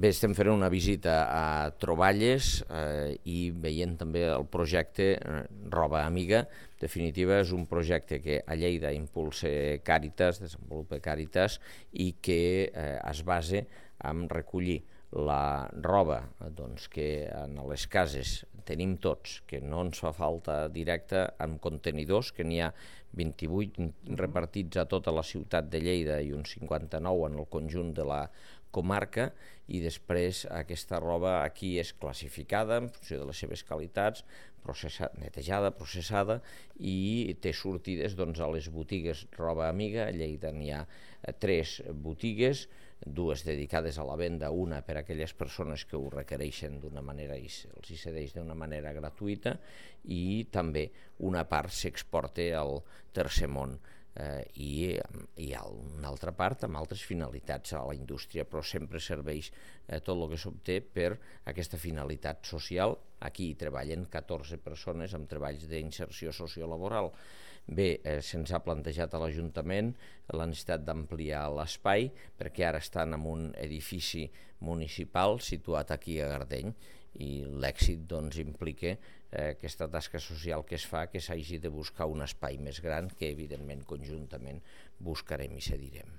Bé, estem fent una visita a troballes i veient també el projecte Roba Amiga. En definitiva, és un projecte que a Lleida impulsa Càritas, desenvolupa Càritas, i que es basa en recollir la roba que en les cases tenim tots, que no ens fa falta directa, amb contenidors, que n'hi ha 28 repartits a tota la ciutat de Lleida i uns 59 en el conjunt de la comarca, i després aquesta roba aquí és classificada en funció de les seves qualitats, netejada, processada, i té sortides a les botigues Roba Amiga. A Lleida n'hi ha 3 botigues, 2 dedicades a la venda, una per a aquelles persones que ho requereixen d'una manera i els hi cedeix d'una manera gratuïta, i també una part s'exporta al tercer món. I hi ha una altra part amb altres finalitats a la indústria, però sempre serveix tot el que s'obté per aquesta finalitat social. Aquí hi treballen 14 persones amb treballs d'inserció sociolaboral. Bé, se'ns ha plantejat a l'Ajuntament la necessitat d'ampliar l'espai, perquè ara estan en un edifici municipal situat aquí a Gardeny, i l'èxit implica aquesta tasca social que es fa, que s'hagi de buscar un espai més gran, que evidentment conjuntament buscarem i cedirem.